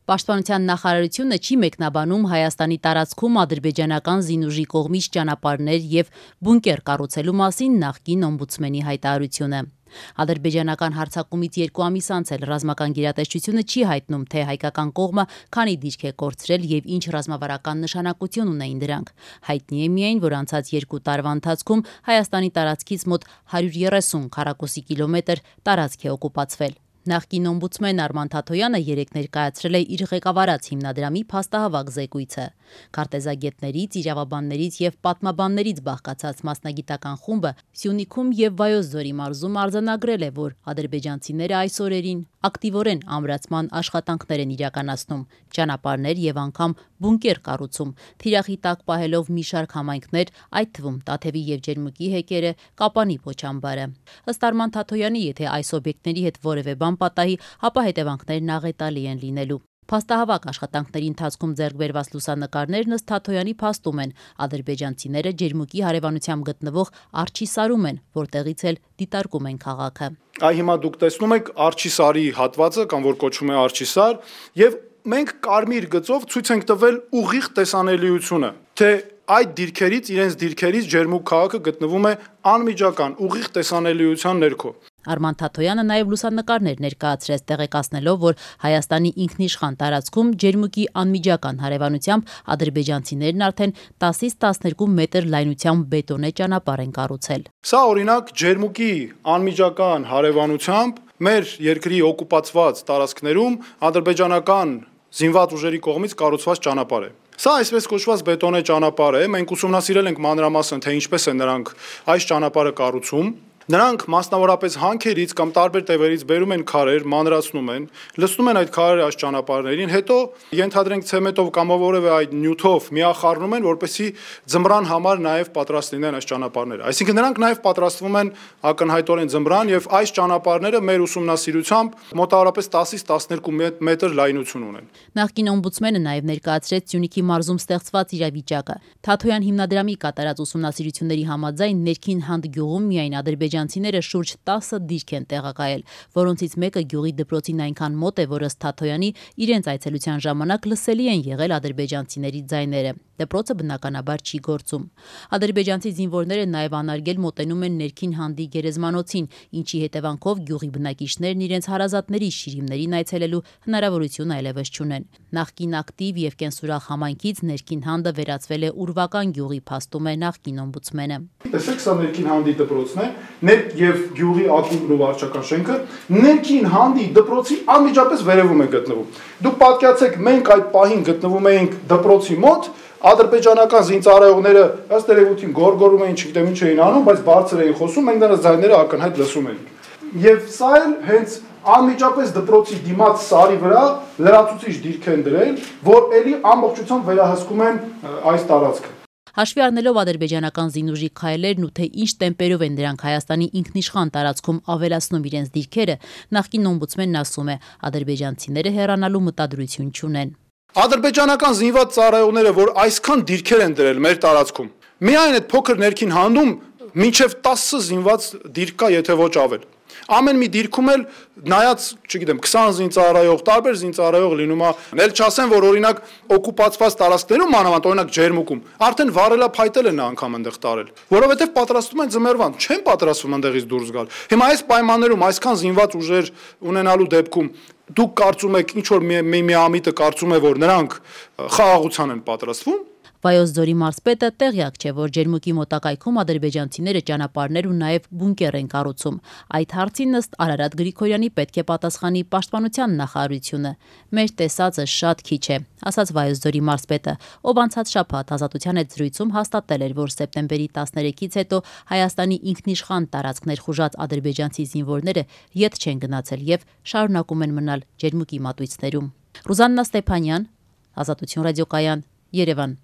Պաշտպանության նախարարությունը չի մեկնաբանում Հայաստանի տարածքում ադրբեջանական զինուժի կողմից ճանապարհներ եւ բունկեր կառուցելու մասին նախկին օմբուդսմենի հայտարարությունը։ Ադրբեջանական հարձակումից 2 ամիս անց էլ ռազմական գերատեսչությունը չի հայտնում, թե հայկական կողմը քանի դիրք է կորցրել եւ ինչ ռազմավարական նշանակություն ունեին դրանք։ Հայտնի է միայն, որ անցած 2 տարվա ընթացքում Հայաստանի տարածքից մոտ 130 քառակուսի կիլոմետր տարածք է օկուպացվել։ Նախկին օմբուդսմեն Արման Թաթոյանը երեկ ներկայացրել է իր ղեկավարած հիմնադրամի փաստահավաք զեկույցը։ Քարտեզագետներից, իրավաբաններից եւ պատմաբաններից բաղկացած մասնագիտական խումբը Սյունիքում եւ Վայոց ձորի մարզում արձանագրել է, որ ադրբեջանցիները այս օրերին ակտիվորեն ամրացման աշխատանքներ են իրականացնում, ճանապարհներ եւ անգամ բունկեր կառուցում, թիրախի տակ պահելով մի շարք համայնքներ, այդ թվում Տաթևի եւ Ջերմուկի հեկերը, Կապանի փոչամբարը։ Ըստ Արման Թաթոյանի, եթե այս օբյեկտների հետ որևէ բան պատահի, ապա հետևանքներն աղետալի են լինելու։ Փաստահավաք աշխատանքների ընթացքում ձեռք բերված լուսանկարներն ըստ Թաթոյանի փաստում են, ադրբեջանցիները Ջերմուկի հարևանությամբ գտնվող Արջիսարում են, որտեղից էլ դիտարկում են քաղաքը։ Այ հիմա դուք տեսնում եք Արջիսարի հատվածը, կամ որ կոչվում է Արջիսար, եւ մենք կարմիր գծով ցույց ենք տվել ուղիղ տեսանելիությունը, թե այդ դիրքերից, իրենց դիրքերից Ջերմուկ քաղաքը գտնվում է անմիջական ուղիղ տեսանելիության ներքո։ Արման Թաթոյանը նաև լուսանկարներ ներկայացրեց, տեղեկացնելով, որ Հայաստանի ինքնիշխան տարածքում Ջերմուկի անմիջական հարևանությամբ ադրբեջանցիներն արդեն 10-ից 12 մետր լայնությամբ բետոնե ճանապարհ են կառուցել։ Սա օրինակ Ջերմուկի անմիջական հարևանությամբ մեր երկրի օկուպացված տարածքներում ադրբեջանական զինված ուժերի կողմից կառուցված ճանապարհ է։ Սա այսպես կոչված բետոնե ճանապարհ է, մենք ուսումնասիրել ենք մանրամասն, թե ինչպես են նրանք այս ճանապարհը կառուցում։ Նրանք մասնավորապես հանքերից կամ տարբեր տևերից բերում են քարեր, մանրացնում են, լցնում են այդ քարերը այս ճանապարհներին, հետո ենթադրենք ցեմենտով կամ որևէ այդ նյութով միախառնում են, որպեսզի ձմռան համար նաև պատրաստ լինեն այս ճանապարհները։ Այսինքն նրանք նաև պատրաստվում են ակնհայտորեն ձմռան եւ այս ճանապարհները մեր ուսումնասիրությամբ մոտավորապես 10-ից 12 մետր լայնություն ունեն։ Նախկին օմբուդսմենը նաև ներկայացրեց Սյունիքի մարզում ստեղծված իրավիճակը։ Թաթոյան հիմնադրամի կատարած ուսումնասիրությունների համաձայն ներքին Հանդ գյուղում միայն ադրբեջանցիները շուրջ 10 դիրք են տեղակայել, որոնցից մեկը գյուղի դպրոցին այնքան մոտ է, որ ըստ Թաթոյանի իրենց այցելության ժամանակ լսելի են եղել ադրբեջանցիների ձայները։ Դպրոցը բնականաբար չի գործում։ Ադրբեջանցի զինվորները նաև անարգել մոտենում են ներքին Հանդի գերեզմանոցին, ինչի հետևանքով գյուղի բնակիչներն իրենց հարազատների շիրիմներին այցելելու հնարավորություն այլևս չունեն։ Նախկին ակտիվ եւ կենսուրախ համայնքից ներքին Հանդը վերածվել է ուրվական գյուղի, փաստում է նախկին օմբուդսմենը։ Տեսեք, սա ներքին Հանդի դպրոցն է, եւ գյուղի ակումբն ու վարչական շենքը ներքին Հանդի դպրոցի անմիջապես վերևում է գտնվում։ Դուք պատկերացեք, մենք այդ պահին գտնվում էինք դպրոցի մոտ, ադրբեջանական զինծառայողները ըստ երևույթին գորգորում էին, չգիտեմ ինչ էին անում, բայց բարձր էին խոսում, մենք նրանց ձայները ակնհայտ լսում էինք։ Եվ սա էլ հենց անմիջապես դպրոցի դիմաց սարի վրա լրացուցիչ դիրք են դրել, որ ելի ամբողջությամբ վերահսկում են այս տարածքը։ Հաշվի առնելով ադրբեջանական զինուժի քայլերն ու թե ինչ տեմպերով են դրանք Հայաստանի ինքնիշխան տարածքում ավելացնում իրենց դիրքերը, նախկին օմբուդսմենն ասում է, ադրբեջանցիները հեռանալու մտադրություն չունեն։ Ադրբեջանական զինված ծառայողները, որ այսքան դիրքեր են դրել մեր տարածքում, միայն այդ փոքր ներքին Հանդում մինչև 10 զինված դիրք կա, եթե ոչ ավել։ Ամեն մի դիրքում էլ նայած, չգիտեմ, 20 զինծառայող, տարբեր զինծառայող լինում է, ել չասեն, որ օրինակ օկուպացված տարածքներում, մանավանդ օրինակ Ջերմուկում, արդեն վառելափայտել են անգամ այնտեղ տարել, որովհետև պատրաստվում են ձմեռվան, չեն պատրաստվում այնտեղից դուրս գալ։ Հիմա այս պայմաններում այսքան զինված ուժեր ունենալու դեպքում դուք կարծում եք, ինչ որ մի ամիտը կարծում է, որ նրանք խաղաղության են պատրաստվում։ Վայոց ձորի մարզպետը տեղյակ չէ, որ Ջերմուկի մոտակայքում ադրբեջանցիները ճանապարհներ ու նաև բունկեր են կառուցում։ Այդ հարցին ըստ Արարատ Գրիգորյանի պետք է պատասխանի պաշտպանության նախարարությունը։ Մեր տեսածը շատ քիչ է, ասաց Վայոց ձորի մարզպետը, ով անցած շաբաթ Ազատության հետ զրույցում հաստատել էր, որ սեպտեմբերի 13-ից հետո Հայաստանի ինքնիշխան տարածքներ խուժած ադրբեջանցի զինվորները ետ չեն գնացել եւ շարունակում են մնալ Ջերմուկի մատույցներում։ Ռուզաննա Ստեփանյան, Ազատություն ռադիոկայան, Երևան։